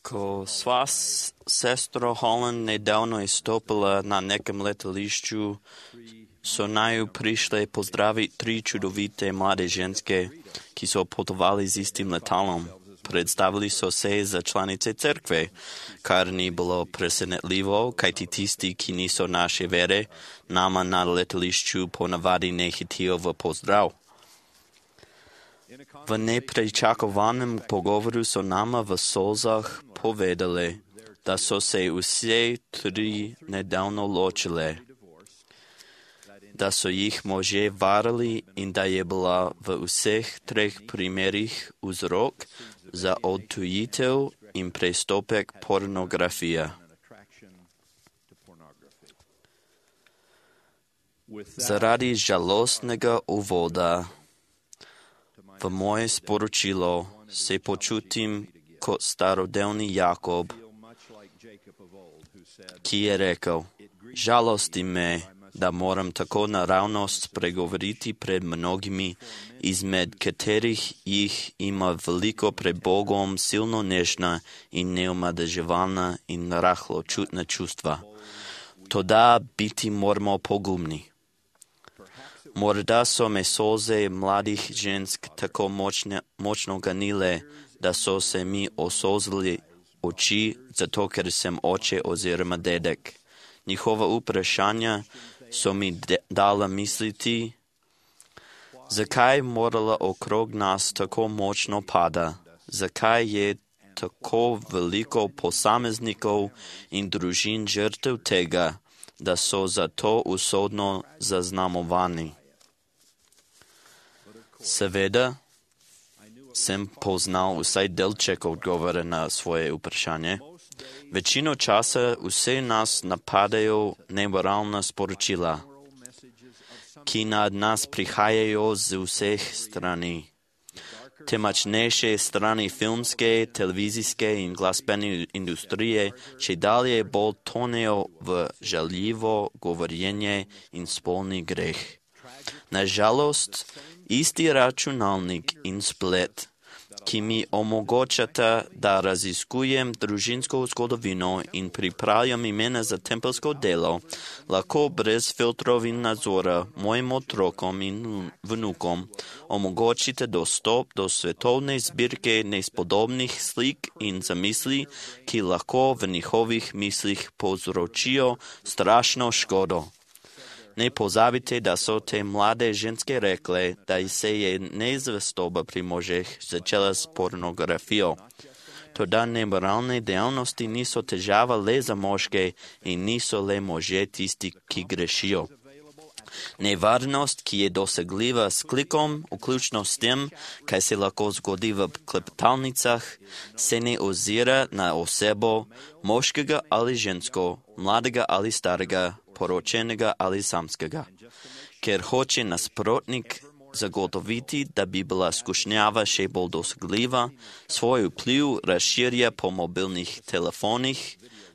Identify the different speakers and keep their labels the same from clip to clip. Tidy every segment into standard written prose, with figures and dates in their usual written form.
Speaker 1: Ko sva sestro Holland nedavno istopila na nekom letališću, so naju prišle pozdraviti 3 čudovite mlade ženske, ki so putovali z istim letalom. Predstavili so se za članice crkve, kar ni bilo presenetljivo, kajti tisti, ki niso naše vere, nama na letališču ponavadi ne hitijo v pozdrav. V nepričakovanem pogovoru so nama v solzah povedali, da so se vse 3 nedavno ločile, da so jih možje varali in da je bila v vseh 3 primerih vzrok za odtujitev in prestopek pornografije. Zaradi žalostnega uvoda v moje sporočilo se počutim kot starodavni Jakob, ki je rekel: žalosti me, da moram tako naravnost spregovoriti pred mnogimi, izmed katerih jih ima veliko pred Bogom silno nežna in neomadeževalna in rahločutna čustva. Toda biti moramo pogumni. Morda so me solze mladih žensk tako močno ganile, da so se mi osozili oči, zato ker sem oče oziroma dedek. Njihova vprašanja so mi dala misliti, zakaj morala okrog nas tako močno pada, zakaj je tako veliko posameznikov in družin žrtev tega, da so zato usodno zaznamovani. Seveda sem poznal vsaj delček odgovora na svoje vprašanje. Večino časa vse nas napadajo nemoralna sporočila, ki nad nas prihajajo z vseh strani. Temačnejše strani filmske, televizijske in glasbene industrije čedalje bolj tonejo v žaljivo govorjenje in spolni greh. Nažalost, isti računalnik in splet, ki mi omogočata, da raziskujem družinsko zgodovino in pripravljam imena za tempelsko delo, lahko brez filtrov in nadzora mojim otrokom in vnukom omogočite dostop do svetovne zbirke nespodobnih slik in zamisli, ki lahko v njihovih mislih povzročijo strašno škodo. Ne pozabite, da so te mlade ženske rekle, da se je nezvestoba pri možeh začela s pornografijo. Toda nemoralne dejavnosti niso težava le za moške in niso le možje tisti, ki grešijo. Nevarnost, ki je dosegljiva s klikom, vključno s tem, kaj se lahko zgodi v klepetalnicah, se ne ozira na osebo, moškega ali žensko, mladega ali starega, poročenega ali samskega, ker hoče nasprotnik zagotoviti, da bi bila skušnjava še bolj dosegljiva, svoj vpliv razširja po mobilnih telefonih,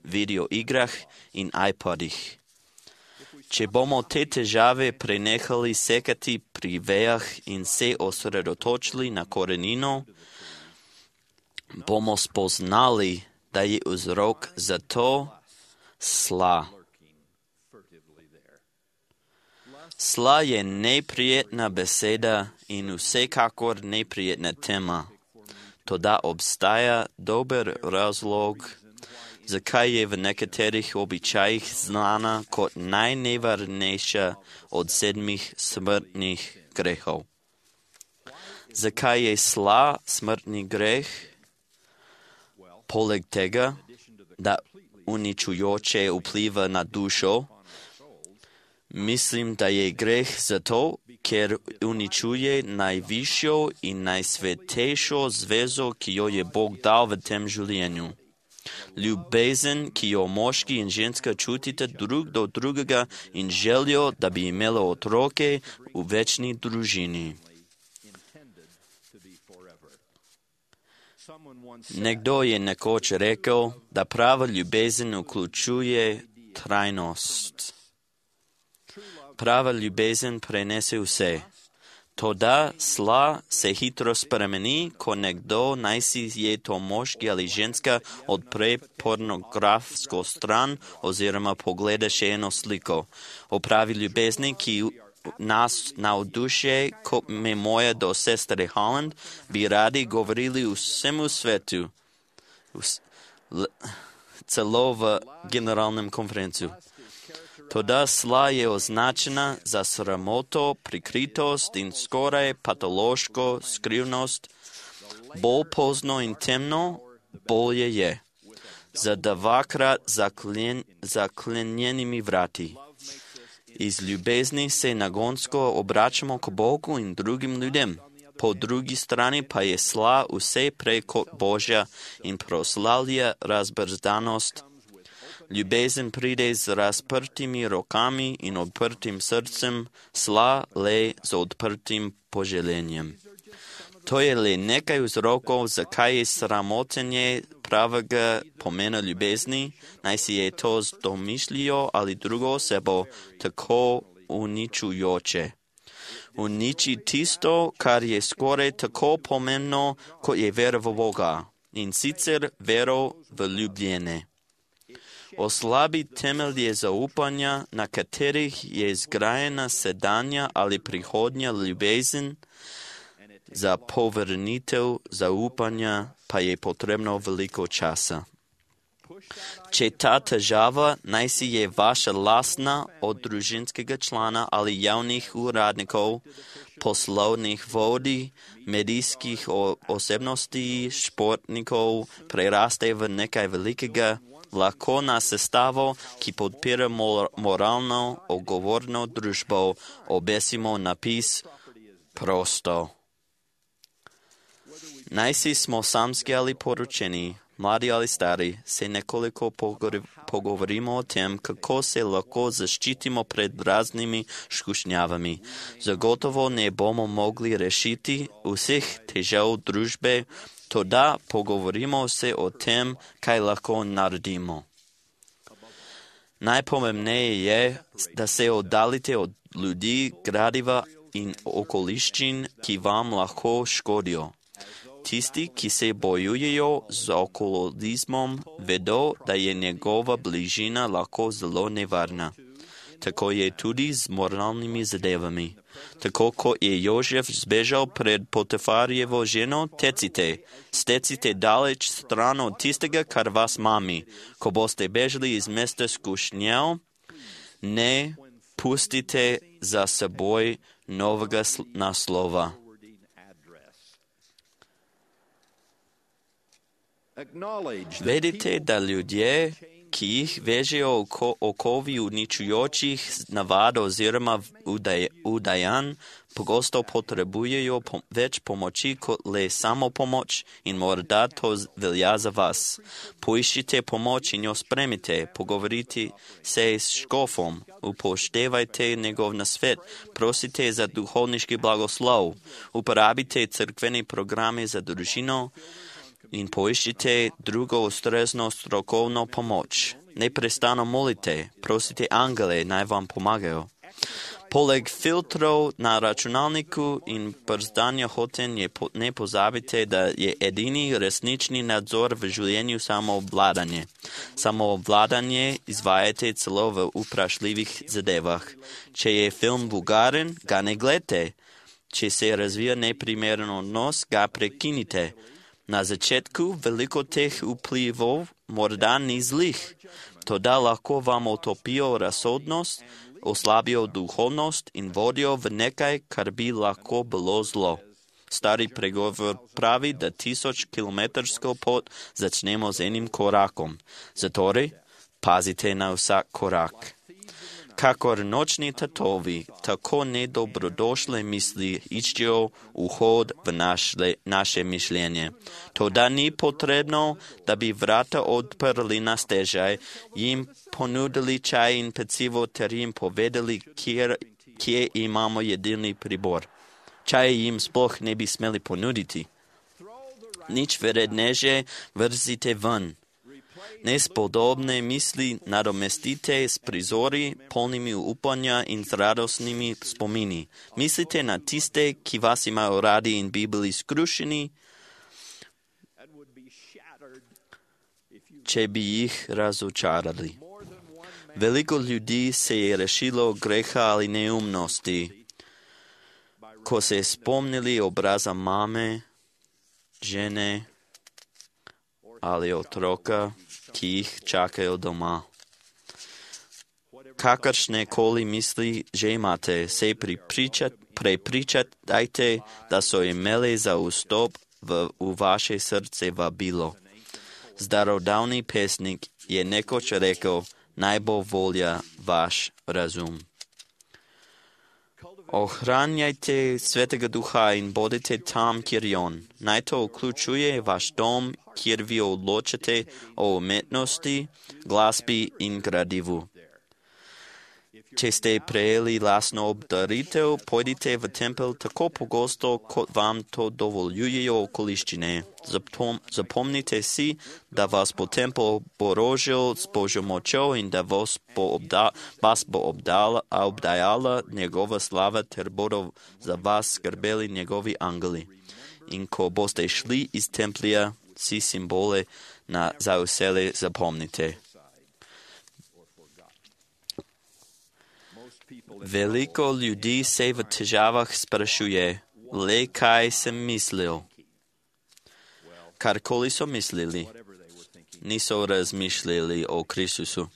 Speaker 1: videoigrah in iPodih. Če bomo te težave prenehali sekati pri vejah in se osredotočili na korenino, bomo spoznali, da je vzrok za to sla. Sla je neprijetna beseda in vsekakor neprijetna tema. Toda obstaja dober razlog, zakaj je v nekaterih običajih znana kot najnevarnejša od 7 smrtnih grehov. Zakaj je sla smrtni greh? Poleg tega, da uničujoče vpliva na dušo, mislim, da je greh zato, ker uničuje najvišjo in najsvetejšo zvezo, ki jo je Bog dal v tem življenju. Ljubezen, ki jo moški in ženska čutite drug do drugega in željo, da bi imela otroke v večni družini. Nekdo je nekoč rekel, da prava ljubezen vključuje trajnost. Prava ljubezen prenese vse. Тогда зла се хитро спремени, ко некдо найси je to moški ali ženska odpre pornografsko stran oziroma pogleda še eno sliko. O pravi ljubezni, ki nas navdušuje, kot me moja do sestre Holland, bi radi govorili vsemu svetu, celo v generalnem konferenciju. Toda zla je označena za sramoto, prikritost in skoraj patološko skrivnost. Bolj pozno in temno, bolje je. Za dvakrat zaklenjenimi vrati. Iz ljubezni se nagonsko obračamo k Bogu in drugim ljudem. Po drugi strani pa je zla vse prej kot Božja in proslavlja razbrzdanost. Ljubezen pride z razprtimi rokami in odprtim srcem, zla le z odprtim poželenjem. To je le nekaj vzrokov, zakaj je sramotenje pravega pomena ljubezni, naj si je to z domišljijo ali drugo osebo tako uničujoče. Uniči tisto, kar je skoraj tako pomembno, kot je vera v Boga, in sicer vero v ljubljene. Oslabi temelje zaupanja, na katerih je zgrajena sedanja ali prihodnja ljubezen, za povrnitev zaupanja pa je potrebno veliko časa. Če ta težava naj si je vaša lastna od družinskega člana ali javnih uradnikov, poslovnih vodij, medijskih osebnosti, športnikov, preraste v nekaj velikega, lahko na sestavo, ki podpira moralno odgovorno družbo, obesimo napis prosto. Najsi smo samski ali poročeni, mladi ali stari, se nekoliko pogovorimo o tem, kako se lahko zaščitimo pred raznimi skušnjavami. Zagotovo ne bomo mogli rešiti vseh težav družbe, toda pogovorimo se o tem, kaj lahko naredimo. Najpomembneje je, da se oddalite od ljudi, gradiva in okoliščin, ki vam lahko škodijo. Tisti, ki se bojujejo z alkoholizmom, vedo, da je njegova bližina lahko zelo nevarna. Tako je tudi z moralnimi zadevami. Tako kot je Jožef zbežal pred Potifarjevo ženo, stecite daleč stran od tistega, kar vas mami. Ko boste bežali iz mesta skušnjav, ne pustite za seboj novega naslova. Vedite, da ljudje, ki jih vežejo okovi uničujočih navad oziroma udajanj, pogosto potrebujejo več pomoči kot le samo pomoč in morda to velja za vas. Poiščite pomoč in jo spremite, pogovorite se s škofom, upoštevajte njegov nasvet, prosite za duhovniški blagoslov, uporabite cerkvene programe za družino, in poiščite drugo ustrezno strokovno pomoč. Neprestano molite, prosite angele, naj vam pomagajo. Poleg filtrov na računalniku in brzdanja hotenj ne pozabite, da je edini resnični nadzor v življenju samoobvladanje. Samoobvladanje izvajate celo v vprašljivih zadevah. Če je film vulgaren, ga ne gledajte. Če se razvija neprimeren odnos, ga prekinite. Na začetku veliko teh vplivov morda ni zlih, toda lahko vam utopijo razsodnost, oslabijo duhovnost in vodijo v nekaj, kar bi lahko bilo zlo. Stari pregovor pravi, da 1000-kilometrsko pot začnemo z enim korakom. Zatorej, pazite na vsak korak. Kakor nočni tatovi, tako nedobrodošle misli iščejo vhod v naše mišljenje. Toda ni potrebno, da bi vrata odprli na stežaj, jim ponudili čaj in pecivo ter jim povedali, kje imamo jedilni pribor. Čaj jim sploh ne bi smeli ponuditi. Nič vredneže vrzite ven. Nespodobne misli nadomestite s prizori, polnimi upanja in s radosnimi spomini. Mislite na tiste, ki vas imajo radi in bi bili skrušeni, če bi jih razočarali. Veliko ljudi se je rešilo greha ali neumnosti, ko se spomnili obraza mame, žene ali otroka, ki jih čakajo doma. Kakršne koli misli že imate, se prepričajte, da so imeli za vstop v vaše srce vabilo. Starodavni pesnik je nekoč rekel, naj bo volja vaš razum. Ohranjajte Svetega Duha in bodite tam, kjer je on. Naj to vključuje vaš dom, kjer vi odločate o umetnosti, glasbi in gradivu. Če ste prejeli lastno obdaritev, pojdite v tempelj tako pogosto, kot vam to dovoljujejo okoliščine. Zapomnite si, da vas bo tempelj oborožil s Božjo močjo in da vas bo obdajala njegova slava ter bodo za vas skrbeli njegovi angeli. In ko boste šli iz templja, si simbole za vselej zapomnite. Veliko ljudi se v težavah sprašuje, le kaj sem mislil. Karkoli so mislili, niso razmišljali o Kristusu.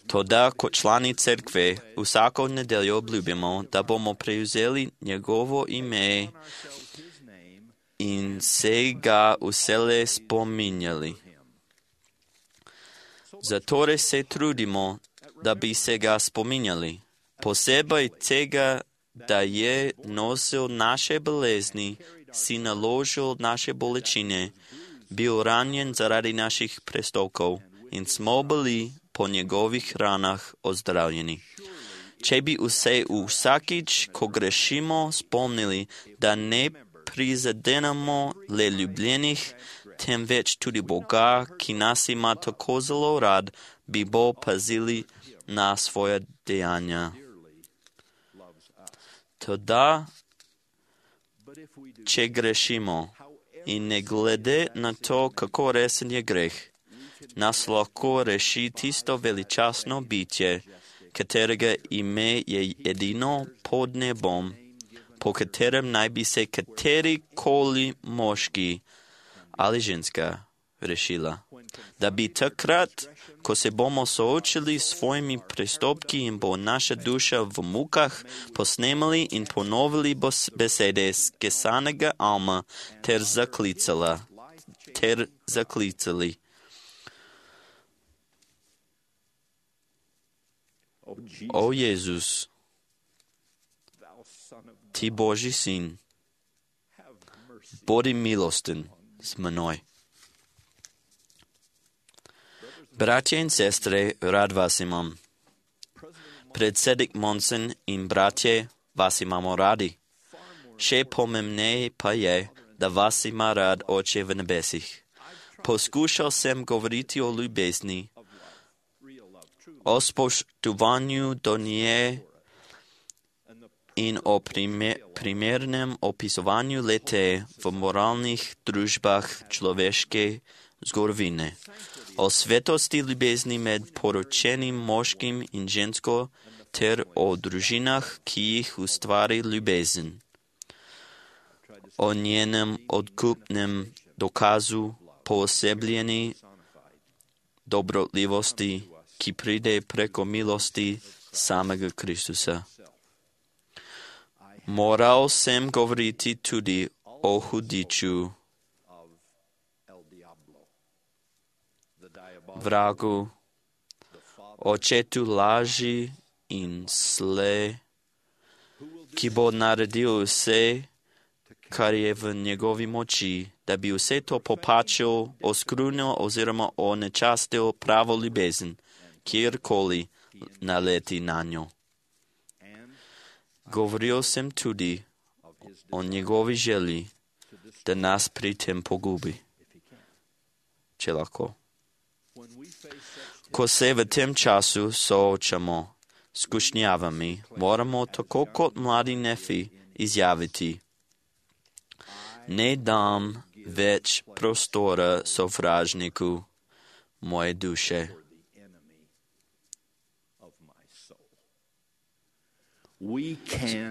Speaker 1: Toda kot člani cerkve vsako nedeljo obljubimo, da bomo prevzeli njegovo ime in se ga vselej spominjali. Zatorej se trudimo, da bi se ga spominjali. Posebej tega, da je nosil naše bolezni, si naložil naše bolečine, bil ranjen zaradi naših prestopkov in smo bili po njegovih ranah ozdravljeni. Če bi se vsakič, ko grešimo, spomnili, da ne prizadenemo le ljubljenih, temveč tudi Boga, ki nas ima tako zelo rad, bi bo pazili na svoja dejanja. Toda, če grešimo in ne glede na to, kako resen je greh, nas lahko reši tisto veličastno bitje, katerega ime je edino pod nebom, po katerem naj bi se katerikoli moški ali ženska rešila. Da bi takrat, ko se bomo soočili s svojimi prestopki in bo naša duša v mukah, posnemali in ponovili besede skesanega alma ter zaklicali. O Jezus, ti Božji sin, bodi milosten z menoj. Bratje in sestre, rad vas imam. Predsednik Monson in bratje, vas imamo radi. Še pomembneje pa je, da vas ima rad Oče v nebesih. Poskušal sem govoriti o ljubezni, o spoštovanju do nje in o primernem opisovanju lete v moralnih družbah človeške zgodovine. O svetosti ljubezni med poročenim moškim in žensko ter o družinah, ki jih ustvari ljubezen. O njenem odkupnem dokazu poosebljeni dobrotljivosti, ki pride preko milosti samega Kristusa. Moral sem govoriti tudi o hudiču, vragu, očetu laži in sle, ki bo naredil vse, kar je v njegovi moči, da bi vse to popačil, oskrunil oziroma onečastil pravo ljubezen, kjerkoli naleti na njo. Govoril sem tudi o njegovi želji, da nas pri tem pogubi, če lahko. Ко се в тем часу соочамо с кушнявами, морамо тако кот млади нефи изявити. Не дам веч простора совражнику моje душе.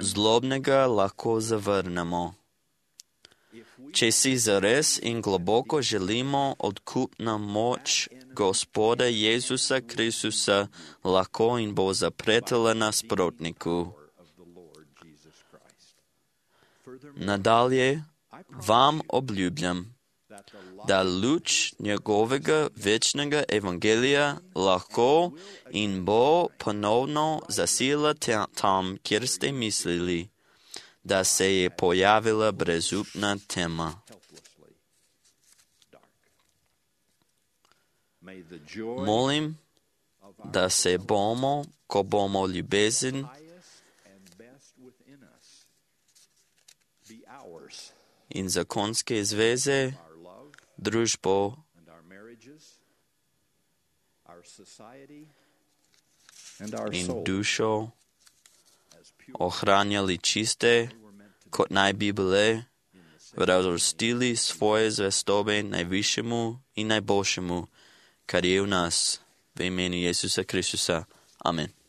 Speaker 1: Злобнega lahko zavrnemo. Če si zares in globoko želimo odkupna moč Gospoda Jezusa Kristusa lahko in bo zapretela nasprotniku. Nadalje vam obljubljam, da luč njegovega večnega evangelija lahko in bo ponovno zasila tam, kjer ste mislili, da se je pojavila brezupna tema. Molim, da se bomo, ko bomo ljubezen in zakonske zveze, družbo in dušo ohranjali čiste, kot naj bi bile, vrstili svoje zvestobe najvišjemu in najboljšemu, kar je v nas, v imenu Jezusa Kristusa. Amen.